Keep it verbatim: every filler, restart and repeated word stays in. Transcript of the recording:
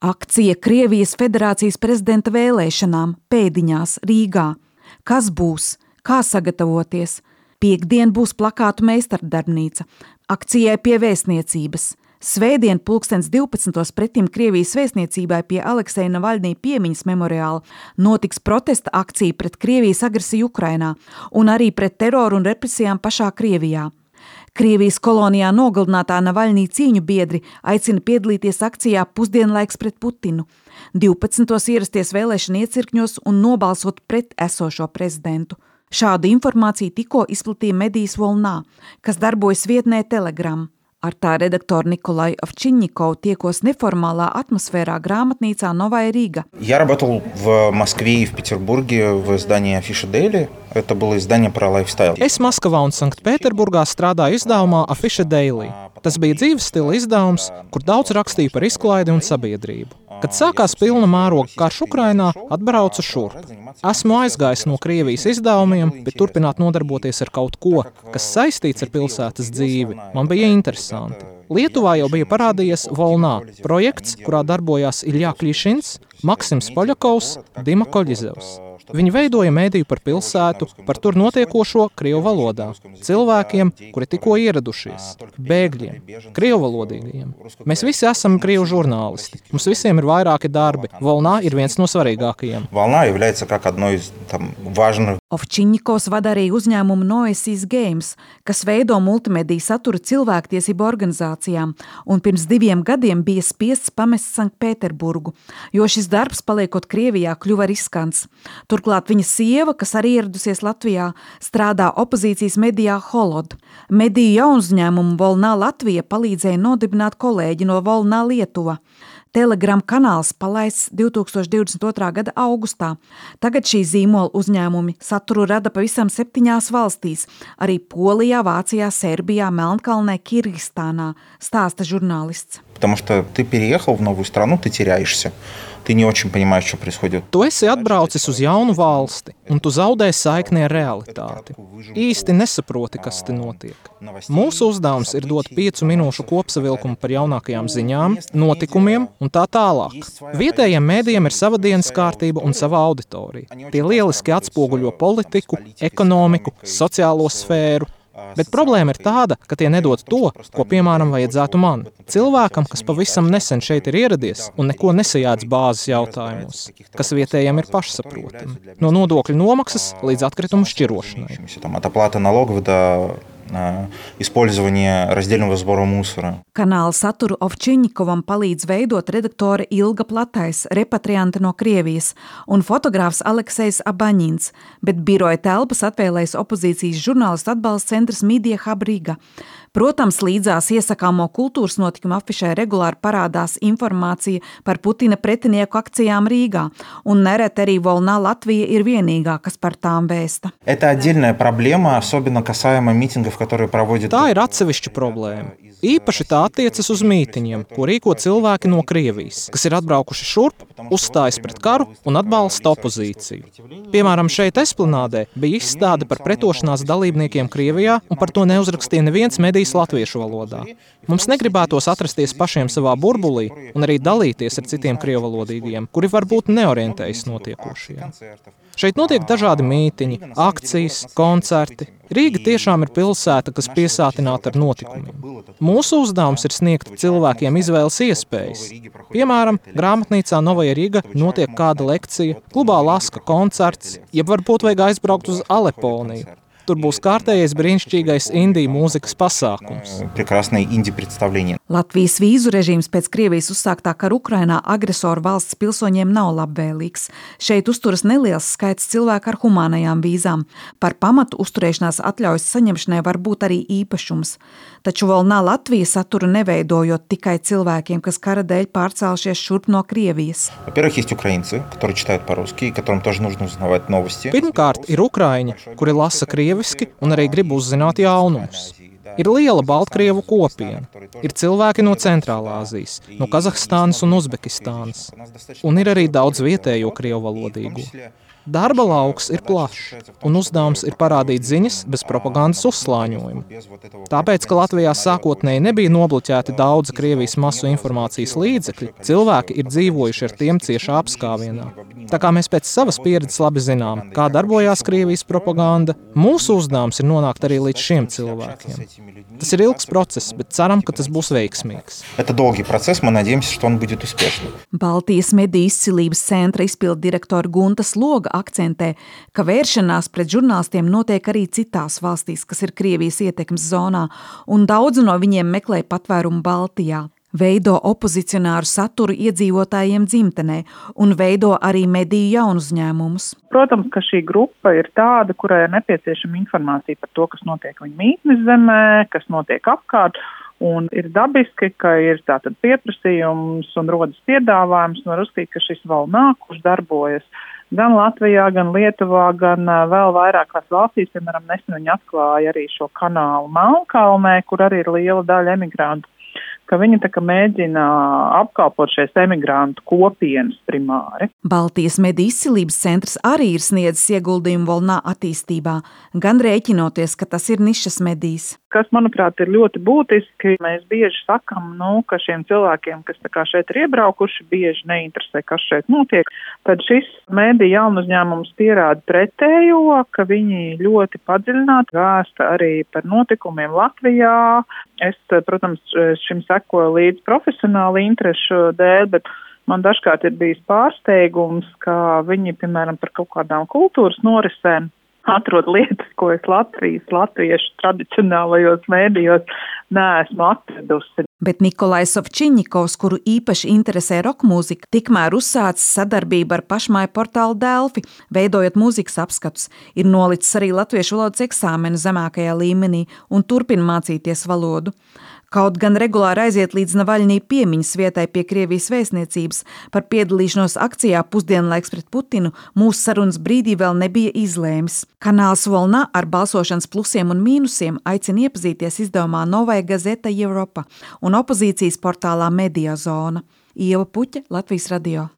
Akcija Krievijas Federācijas prezidenta vēlēšanām pēdiņās Rīgā. Kas būs? Kā sagatavoties? Piektdien būs plakātu meistardarbnīca. Akcijai pie vēstniecības. Svētdien pulkstens divpadsmitos pretim Krievijas vēstniecībai pie Alekseja Navaļnī piemiņas memoriāla notiks protesta akcija pret Krievijas agresiju Ukrainā un arī pret teroru un represijām pašā Krievijā. Krievijas kolonijā nogalinātā Navaļnī cīņu biedri aicina piedalīties akcijā Pusdienlaiks pret Putinu. divpadsmitos ierasties vēlēšana iecirkņos un nobalsot pret esošo prezidentu. Šādu informāciju tikko izplatīja medijas Volnā, kas darbojas vietnē Telegram. Ar tā redaktoru Nikolaju Ovčinņikovu tiekos neformālā atmosfērā grāmatnīcā Novaya Riga. Я работал в Москве и в Петербурге в издании Афиша Дейли. Это было издание про лайфстайл. Es Maskavā un Sanktpēterburgā strādāju izdevumā Afisha Daily. Tas bija dzīves stila izdevums, kur daudz rakstīja par izklaidi un sabiedrību. Kad sākās pilna mēroga karš Ukrainā, atbraucu šurp. Esmu aizgājis no Krievijas izdevumiem, bet turpināt nodarboties ar kaut ko, kas saistīts ar pilsētas dzīvi, man bija interesanti. Lietuvā jau bija parādījies Volnā projekts, kurā darbojās Iļja Klišins, Maksims Poļakovs, Dima Koļizevs. Viņi veidoja mēdīju par pilsētu, par tur notiekošo krievu valodā, cilvēkiem, kuri tikko ieradušies, bēgļiem, krievuvalodīgajiem. Mēs visi esam krievu žurnālisti. Mums visiem ir vairāki darbi. Volnā ir viens no svarīgākajiem. Волна является как одной из там важных. Ovčiņņikovs vada arī uzņēmumu Noesis Games, kas veido multimediju satura cilvēktiesību organizācijām, un pirms diviem gadiem bija spiests pamest Sanktpēterburgu, jo šis darbs, paliekot Krievijā, kļuva riskants. Turklāt viņa sieva, kas arī ieradusies Latvijā, strādā opozīcijas medijā Holod. Mediju jaunuzņēmumu Volnā Latvija palīdzēja nodibināt kolēģi no Volnā Lietuva. Telegram kanāls palaists divtūkstoš divdesmit otrā gada augustā. Tagad šī zīmola uzņēmumi saturu rada pavisam septiņās valstīs, arī Polijā, Vācijā, Serbijā, Melnkalnē, Kirgistānā, stāsta žurnālists. Потому что ты переехал в новую страну, ты теряешься. Ты не очень понимаешь, что происходит. Tu esi atbraucis uz jaunu valsti, un tu zaudē saikni ar realitāti. Īsti nesaproti, kas te notiek. Mūsu uzdevums ir dot piecu minūšu kopsavilkumu par jaunākajām ziņām, notikumiem un tā tālāk. Vietējiem mēdījiem ir sava dienas kārtība un sava auditorija. Tie lieliski atspoguļo politiku, ekonomiku, sociālo sfēru. Bet problēma ir tāda, ka tie nedod to, ko, piemēram, vajadzētu man. Cilvēkam, kas pavisam nesen šeit ir ieradies un neko nesajādz bāzes jautājumos, kas vietējiem ir pašsaprotami. No nodokļu nomaksas līdz atkritumu šķirošanai. От оплаты налогов до использования раздельного сбора мусора. Kanāla saturu Ovčiņņikovam palīdz veidot redaktore Ilga Platais, repatriante no Krievijas, un fotogrāfs Aleksejs Abaņins, bet biroja telpas atvēlējis opozīcijas žurnālistu atbalsta centrs Media Hub Riga. Protams, līdzās iesakāmo kultūras notikumu afišē regulāri parādās informācija par Putina pretinieku akcijām Rīgā, un nereti arī Volnā Latvija ir vienīgā, kas par tām vēsta. Это отдельная проблема, особенно касаемо митингов, которые проводят. Tā ir atsevišķa problēma. Īpaši tā attiecas uz mītiņiem, ko rīko cilvēki no Krievijas, kas ir atbraukuši šurp, uzstājas pret karu un atbalsta opozīciju. Piemēram, šeit Esplanādē bija izstāde par pretošanās dalībniekiem Krievijā, un par to neuzrakstīja neviens medijs latviešu valodā. Mums negribētos atrasties pašiem savā burbulī un arī dalīties ar citiem krievalodīgajiem, kuri varbūt neorientējas notiekošajiem. Šeit notiek dažādi mītiņi, akcijas, koncerti. Rīga tiešām ir pilsēta, kas piesātināta ar notikumiem. Mūsu uzdevums ir sniegt cilvēkiem izvēles iespējas. Piemēram, grāmatnīcā Novaya Riga notiek kāda lekcija, klubā Laska koncerts, jeb varbūt vajag aizbraukt uz Aleponiju. Tur būs kārtējais brīnišķīgais indiju mūzikas pasākums. Прекрасное инди-представление. Latvijas vīzu režīms pēc Krievijas uzsāktā kara Ukrainā agresoru valsts pilsoņiem nav labvēlīgs. Šeit uzturas neliels skaits cilvēku ar humānajām vīzām. Par pamatu uzturēšanās atļaujas saņemšanai var būt arī īpašums. Taču Volnā Latvija saturu neveidojot tikai cilvēkiem, kas kara dēļ pārcēlušies šurp no Krievijas. Во-первых, есть украинцы, которые читают по-русски, которым тоже нужно узнавать новости. Pirmkārt, ir ukraiņi, kuri lasa krieviski un arī grib uzzināt jaunumus. Ir liela Baltkrievu kopiena. Ir cilvēki no Centrālā Azijas, no Kazahstānas un Uzbekistānas. Un ir arī daudz vietējo krievu valodīgu. Darba lauks ir plašs, un uzdevums ir parādīt ziņas bez propagandas uzslāņojuma. Tāpēc, ka Latvijā sākotnēji nebija nobloķēti daudzi Krievijas masu informācijas līdzekļi, cilvēki ir dzīvojuši ar tiem ciešā apskāvienā. Tā kā mēs pēc savas pieredzes labi zinām, kā darbojās Krievijas propaganda, mūsu uzdevums ir nonākt arī līdz šiem cilvēkiem. Tas ir ilgs process, bet ceram, ka tas būs veiksmīgs. Это долгий процесс, мы надеемся, что он будет успешным. Baltijas mediju izcilības centra izpildu direktora Gunta Sloga akcentē, ka vēršanās pret žurnālistiem notiek arī citās valstīs, kas ir Krievijas ietekmes zonā, un daudzi no viņiem meklē patvērumu Baltijā. Veido opozicionāru saturu iedzīvotājiem dzimtenē un veido arī mediju jaunuzņēmumus. Protams, ka šī grupa ir tāda, kurai ir nepieciešama informācija par to, kas notiek viņa mītnes zemē, kas notiek apkārt, un ir dabiski, ka ir tātad pieprasījums un rodas piedāvājums, un var uzskatīt, ka šis Volnā, kurš darbojas gan Latvijā, gan Lietuvā, gan vēl vairākās valstīs, piemēram, nesen viņi atklāja arī šo kanālu Melnkalnē, kur arī ir liela daļa emigrantu, ka viņi tā kā mēģina apkalpot šīs emigrantu kopienas primāri. Baltijas mediju izcilības centrs arī ir sniedzis ieguldījumu Volnā attīstībā, gan rēķinoties, ka tas ir nišas medijs. Kas, manuprāt, ir ļoti būtiski, mēs bieži sakam, nu, ka šiem cilvēkiem, kas tā kā šeit ir iebraukuši, bieži neinteresē, kas šeit notiek, tad šis mediju jaunuzņēmums pierāda pretējo, ka viņi ļoti padziļināti vēsta arī par notikumiem Latvijā. Es, protams, šim sekoju līdz profesionāli interešu dēļ, bet man dažkārt ir bijis pārsteigums, ka viņi, piemēram, par kaut kādām kultūras norisēm atrod lietas, ko es Latvijas, latviešu tradicionālajos mēdījos neesmu atradusi. Bet Nikolais Ovčiņņikovs, kuru īpaši interesē rokmūzika, tikmēr uzsācis sadarbību ar pašmāju portālu Delfi, veidojot mūzikas apskatus, ir nolicis arī latviešu valodas eksāmenu zemākajā līmenī un turpina mācīties valodu. Kaut gan regulāri aiziet līdz Navaļnī piemiņas vietai pie Krievijas vēstniecības par piedalīšanos akcijā Pusdienlaiks pret Putinu, mūsu sarunas brīdī vēl nebija izlēmis. Kanāls Volnā ar balsošanas plusiem un mīnusiem aicina iepazīties izdevumā Novaja Gazeta Europa un opozīcijas portālā Media Zona. Ieva Puķe, Latvijas radio.